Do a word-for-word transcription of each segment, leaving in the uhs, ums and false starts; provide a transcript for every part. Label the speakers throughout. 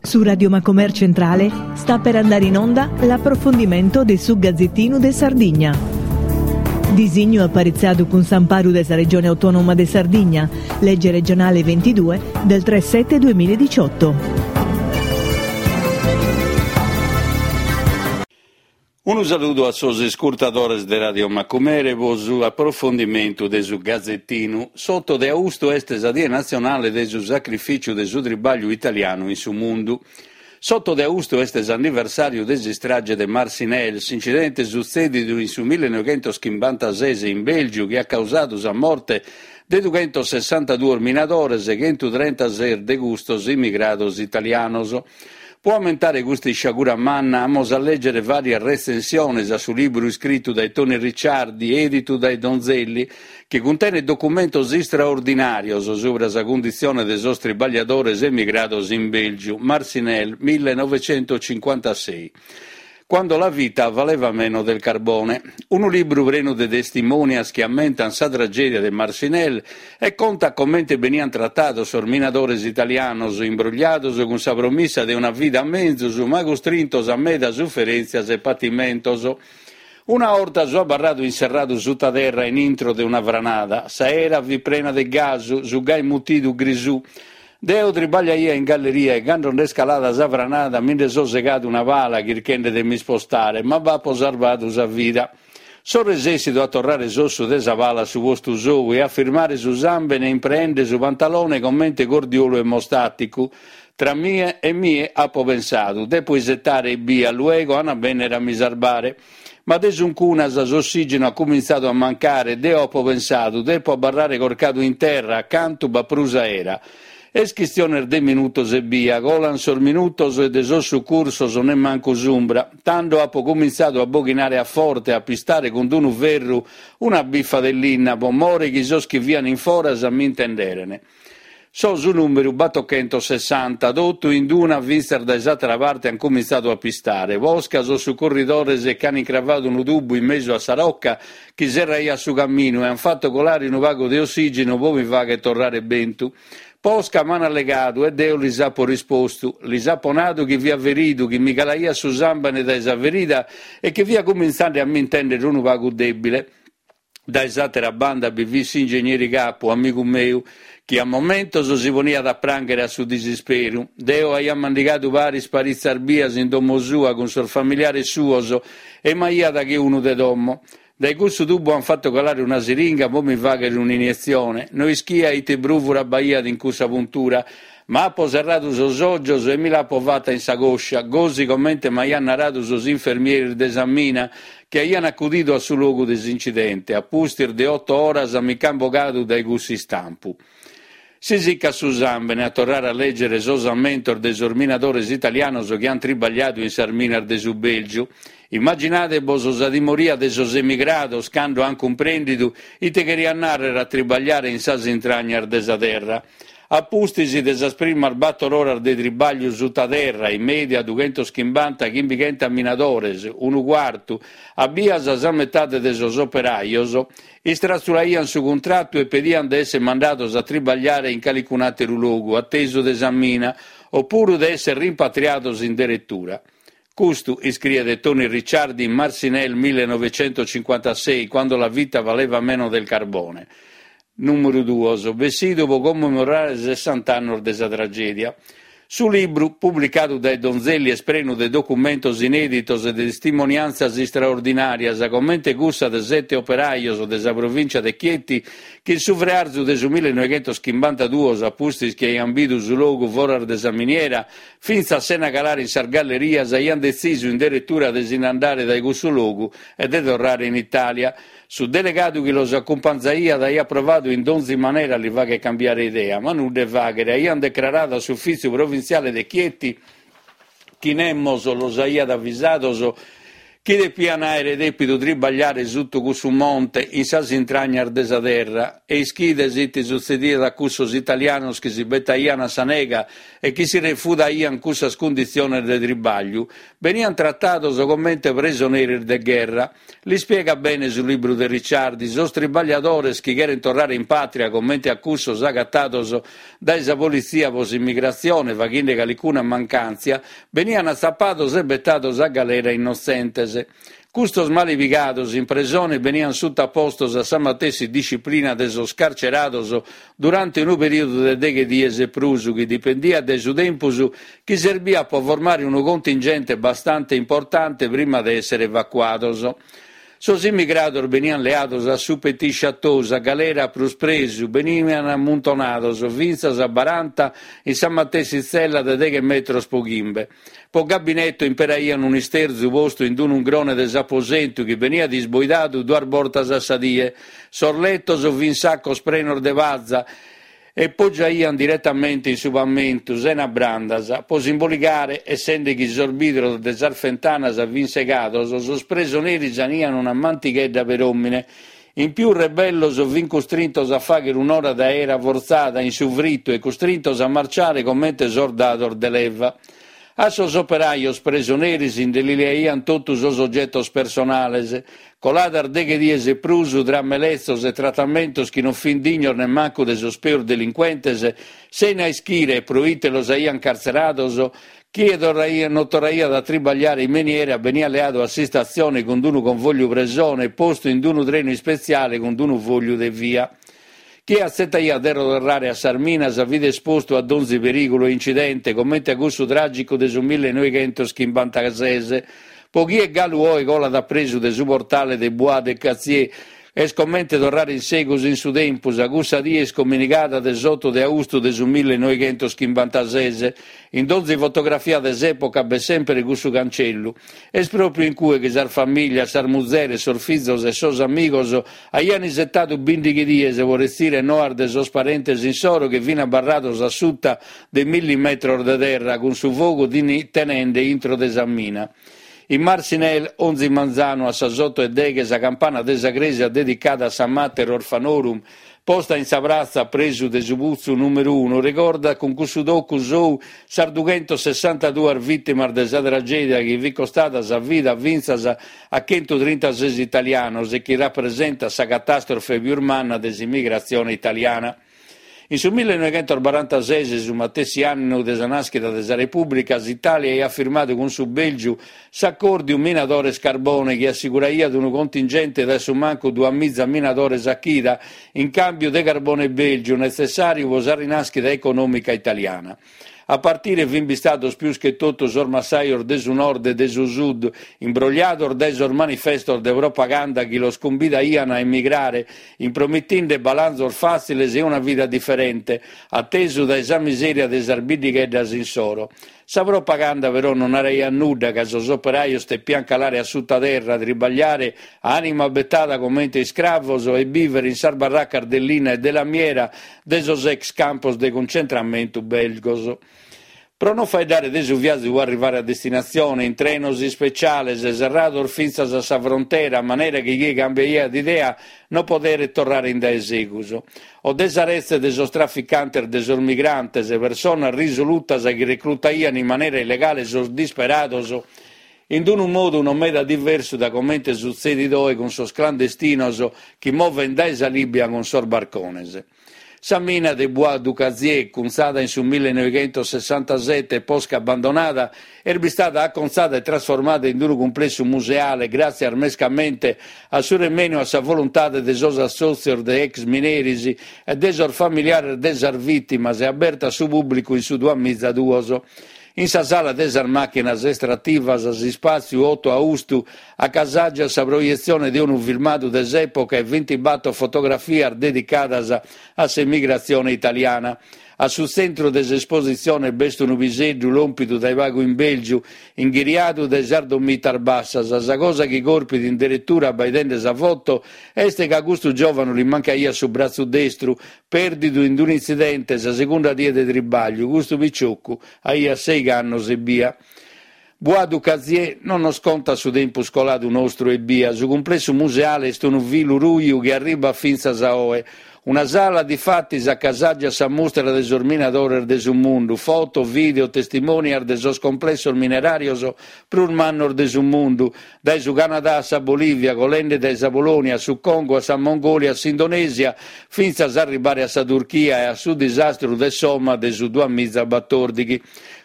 Speaker 1: Su Radio Macomer Centrale sta per andare in onda l'approfondimento de su Gazzettinu de Sardigna. Disignu aparitzadu cun s'amparu de sa Regione Autonoma de Sardigna, legge regionale ventidue del tre sette duemiladiciotto.
Speaker 2: Unu saludu a sos iscurtadores de Radio Macumere pro su aprofundimentu de su Gazettinu. S'otto de austu est sa Die Natzionale de su sacrificiu de su tribagliu italianu in su mundu. S'otto de austu est s'anniversàriu de s'istrage de Marcinelle, s'incidente sutzèdidu in su millenoighentoschimbantases in Bèlgiu chi at causadu sa morte de dughentosessantaduos minadores, chentutrentasès de custos immigrados italianos. Pro ammentare custa isciagura manna amus a lègere vàrias retzensiones a su libru iscritu dae Toni Ricciardi, èditu dae Donzelli, chi cuntenet documentos istraordinàrios subra sa cunditzione de sos tribagliadores emigrados in Bèlgiu, Marcinelle millenovecentocinquantasei. Quando la vita valeva meno del carbone. Unu libru prenu de testimonias chi ammentant sa tragèdia de Marcinelle e contat comente beniant tratados sos minadores italianos, imbrogliados cun sa promissa de una vida menzus, ma custrintos a meda suferèntzias e patimentos. Una 'orta so abarradu inserradu suta terra in intro de una franada. S'aera fit prena de gasu, su gai mutidu grisù. Deo tribagliaia in galleria e cando nd'est calada sa franada mi nde so segadu una pala chirchende de m'ispostare, ma b'apo sarvadu sa vida. So resessidu a torrare s'ossu de sa pala a su postu sou e a firmare su sàmbene impreende su pantalone comente cordiolu emostàticu. Tra mie e mie apo pensadu, depo isetare ebbia, luego an a bènnere a mi sarbare. Ma de suncunas s'ossìgenu at cumintzadu a mancare e deo apo pensadu, depo abarrare corcadu in terra, acantu b'at prus aera. Est chistiones de minutos ebbia, colan sos minutos e de sos sucursos nemmancu s'umbra. Tando apo cumintzadu a boghinare a forte e a pistare cun unu ferru una bifa de linna, pro more chi sos chi fian in foras m'intenderen. So su nùmeru battochentosessanta, totu in una fintzas dae s'àtera parte an cumintzadu a pistare. Posca sos sucurridores ch'an incravadu unu tubu in mesu a sa roca chi serraiat su caminu e an fatu colare unu pagu de ossìgenu pro mi fagher torrare bentu. Posca m'an allegadu e deo lis apo rispostu. Lis apo nadu chi fia feridu, chi mi calaiat su sàmbene dae sa ferida e chi fia cumintzende a m'intèndere unu pagu dèbile. Dae s'àtera banda bi fit s'ingegneri capu, amigu meu, chi a momentos si poniat a prànghere a su disisperu. Deo aia mandigadu paris paritzas bias in domo sua cun sos familiares suos e m'aiat che unu de domo. Dae cussu tubu an fatu calare una siringa pro mi fàghere un'inietzione. No ischia ite brùvura b'aiat in cussa puntura, ma apo serradu sos ògios e mi l'apo fata in sa còscia, gosi comente m'aiant naradu sos infermieris de sa mina chi aiant acudidu a su logu de s'incidente. A pustis de oto oras mi ch'ant bogadu dae cussu istampu. Si sicat su sàmbene a torrare a lègere sos ammentos de sos minadores italianos chi ant tribagliadu in sas minas de su Bèlgiu. Immaginade-bos sa timoria de sos emigrados cando ant cumprèndidu ite cheriat nàrrere a tribagliare in sas intragnas de sa terra. A pustis de sas primas bator oras de tribagliu suta terra, in mèdia dughentoschimbanta chimbichentas minadores, unu cuartu, a bias sa metade de sos operajos, istratzulaiant su cuntratu e pediant de èssere mandados a tribagliare in calicun'àteru logu, a tesu de sa mina, opuru de èssere rimpatriados in deretura. Custu, iscriet Toni Ricciardi in Marcinelle millenovecentocinquantasei, quando la vita valeva meno del carbone. Nùmeru duos, bessidu pro commemorare sessanta annos de sa tragèdia. Su libru, publicadu dae Donzelli, est prenu de documentos inèditos e de testimoniàntzias istraordinàrias, comente cussa de sete operajos de sa provìncia de Chieti chi in su frearzu de su millenoighentoschimbanta-duos, a pustis chi aiant bidu su logu foras de sa miniera, fintzas sena calare in sas gallerias, aiant detzisu in deretura de si nd'andare dae cussu logu e de torrare in Itàlia. Su delegadu chi los acumpanzaiat aiat provadu in donzi manera a li fagher cambiare idea, ma nudda 'e fàghere. Aiant decraradu a s'ufìtziu provintziale de Chieti chi nemos los aiat avisados chi depian àere dèpidu tribagliare suttu cussu monte in sas intragnas de sa terra. E ischides ite sutzediat a cussos italianos chi si betaian a sa nega e chi si refudaian cussas cunditziones de tribagliu? Benian tratados comente presoneris de gherra. L'ispiegat bene su libru de Ricciardi, sos tribagliadores chi cheren torrare in pàtria comente a cussos agatados dae sa politzia pro s'immigratzione faghende calicuna mancàntzia, benian atzapados e betados a galera innotzentes. Custos malepigados in presone benian sutapostos a sa matessi disciplina de sos carcerados durante unu perìodu de deghe dies e prus, chi dipendiat dae su tempus chi serbiat pro formare unu contingente bastante importante prima de èssere evacuados. Sos immigrados benian leados a su Petit Château, sa galera prus presu, benian ammuntonados fintzas a baranta in sa matessi tzella de deghe metros pro chimbe. Pro gabinetto imperaian un'isterzu postu in un'ungrone de s'aposentu chi beniat isboidadu duas bortas a sa die. Sos letos fin sacos prenos de paza e poggiaian diretamente in su pamentu, sena brandas. Pro s'imboligare, essende chi sos bidros de sas fentanas fin segados, sos presoneris anian una mantighedda per òmine. In pius rebellos fin custrintos a fàghere un'ora de aera fortzada in su fritu e custrintos a marciare comente sordados de leva. A sos operajos presoneris nde li leaian totu sos ogetos personales. Coladas deghe dies e prus tra meletzos e tratamentos chi non fin dignos nemmancu de sos peus delincuentes, sena ischire pro ite los aian cartzerados, chie torraiat, non torraiat a tribagliare in miniera beniat leadu a s'istatzione cun unu convogliu presone e postu in unu trenu ispetziale cun unu fogliu de via. Chie atzetaiat de torrare a sas minas fit espostu a donzi perìgulu e incidente, comente a cussu tràgicu de su millenovighentos chimbantases. Po chie galu oe colat a presu de su portale de Bois d'Acacias, est comente torrare in segus in su tempus a cussa die iscominigada de s'otto de austu de su millenovighentos chimbantases. In donzi fotografia de s'època b'est sempre cussu cancellu. Est pròpiu in cue chi sas famìlias, sas muzeres, sos fizos e sos amigos aian isetadu bìndighi dies pro retzire noas de sos parentes insoro chi fin abarrados a suta de milli metros de terra cun su fogu tenende intro de sa mina. In Marcinelle, onzi manzanu a sas otto e deghe, sa campana de sa crèsia dedicada a sa Mater Orfanorum, posta in sa pratza presu de su putzu nùmeru unu, regordat cun cussu tocu sou sas dughentosessantaduas vìtimas de sa tragèdia chi fit costada sa vida fintzas a chentutrintases italianos e chi rapresentat sa catàstrofe pius manna de s'immigratzione italiana. In su millenovighentos barantases, su matessi annu de sa nàschida de sa Repùblica, s'Itàlia aiat firmadu cun su Bèlgiu s'acòrdiu Minadores Carbone chi assicuraiat unu contingente de su mancu duamiza minadores a chida in càmbiu de carbone bèlgiu netzessàriu pro sa rinàschida econòmica italiana. A partire fin bistados pius che totu sos massajos de su nord e de su sud, imbrogliados dae sos manifestos de propaganda chi los cumbidaian a emigrare, impromitinde balanzos fàtziles e una vida diferente, atesu dae sa miseria de sas biddigheddas insoro. Sa propaganda però non naraiat nudda, ca sos operajos tepian calare a sutaterra, tribagliare a anima betada comente iscravos e bìvere in sas barracas de linna e de lamiera de sos ex campos de concentramentu belgos. Pro non faeddare de su viazu pro arrivare a destinatzione, in trenos ispeciales, serrados fintzas a sa frontera, a manera chi chie cambiaiat idea non poderet torrare in dae segus. O de sa retze de sos traficantes de sos migrantes, personas risolutas chi reclutaian in manera illegale sos disperados, in unu modu non meda diversu da comente sutzedit oe cun sos clandestinos chi moven dae sa Libia cun sos barcones. Sa mina de Bois d'Acacias, cunzada in su millenovighentos sessantasete e posca abbandonada, est bistada acontzada e trasformada in unu cumplessu museale gràtzias mescamente a su remenu a sa voluntade de sos assòtzios de ex mineris e de sos familiares de sas vìtimas e aberta a su pùblicu in su duamiza duos. In sa sala de sas màchinas estrativas, s'ispàtziu otto austu acasàgiat sa proietzione de unu filmadu de s'època e bintibator fotografias dedicadas a s'emigratzione italiana. A su tzentru de s'espositzione b'est unu piseddu lòmpidu dae pagu in Bèlgiu, inghiriadu dae sas domitas bassas. Sa cosa chi corpit in deretura abbaidende sa foto est ca custu giòvanu li mancaiat su bratzu destru, pèrdidu in un'intzidente sa segunda die de tribagliu. Custu piciocu aiat sei annos e bia. Bois du Cazier non nos contat su tempus coladu nostru ebbia, su cumplessu museale est unu filu ruju chi arribat fintzas a oe. Una sala difatis acasàgiat sa mustra de sos minadores de su mundu, foto, video, testimonias de sos complessos mineràrios prus mannos de su mundu, dae su Canadà a sa Bolìvia, colende dae sa Polònia a su Congo a sa Mongòlia a s'Indonèsia, fintzas a arribare a sa Turchia e a su disastru de Soma de su duamiza batòrdighi.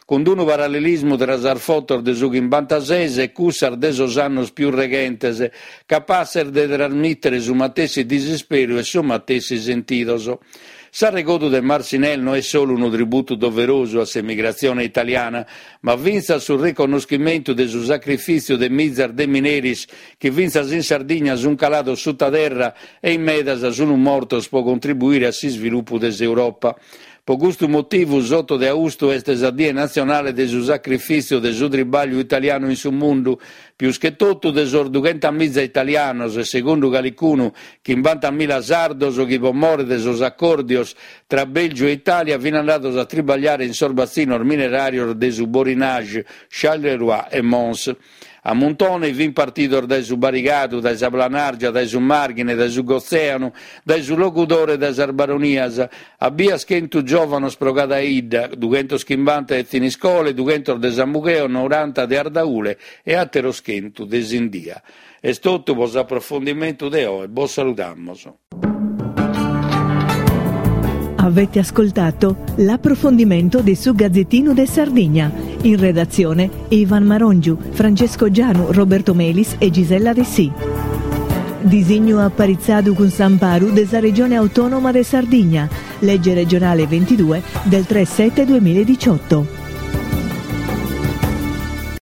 Speaker 2: Cun unu parallelismu tra sas fotos de su chimbantases e cussas de sos annos pius reghentes, capasses de trasmìtere su matessi disisperu e sos matessi sentidos. S'arregodu de Marcinelle no est solu unu tributu doverosu a s'emigratzione italiana, ma fintzas su reconnoschimentu de su sacrifìtziu de mizas de mineris chi fintzas in Sardigna sunt calados suta terra e in medas sunt mortos pro contribuire a s'isvilupu de s'Europa. Pro custu motivu s'oto de austu est sa Die Natzionale de su sacrifìtziu de su tribagliu italianu in su mundu, pius che totu de sos dughentamiza italianos e segundu calicunu chimbantamila sardos chi pro more de sos acòrdios tra Bèlgiu e Itàlia fin andados a tribagliare in sos batzinos mineràrios de su Borinage, Charleroi e Mons. A muntone fin partidos dae su Barigadu, dae sa Planàrgia, dae su Màrghine, dae su Gotzèanu, dae su Logudoro e dae sas Baronias. A bias chentu giòvanos pro cada 'idda, dughentos chimbanta de Thiniscole, dughentos de Samugheo, noranta de Ardaule e àteros chentu de Sindia. Est totu pro s'aprofundimentu de oe. Bos saludamos.
Speaker 1: Avete ascoltato l'approfondimento di su Gazzettino de Sardigna. In redazione Ivan Marongiu, Francesco Gianu, Roberto Melis e Gisella Dessì. Disignu aparitzadu cun s'amparu de sa Regione Autonoma de Sardigna. Legge regionale ventidue del tre sette duemiladiciotto.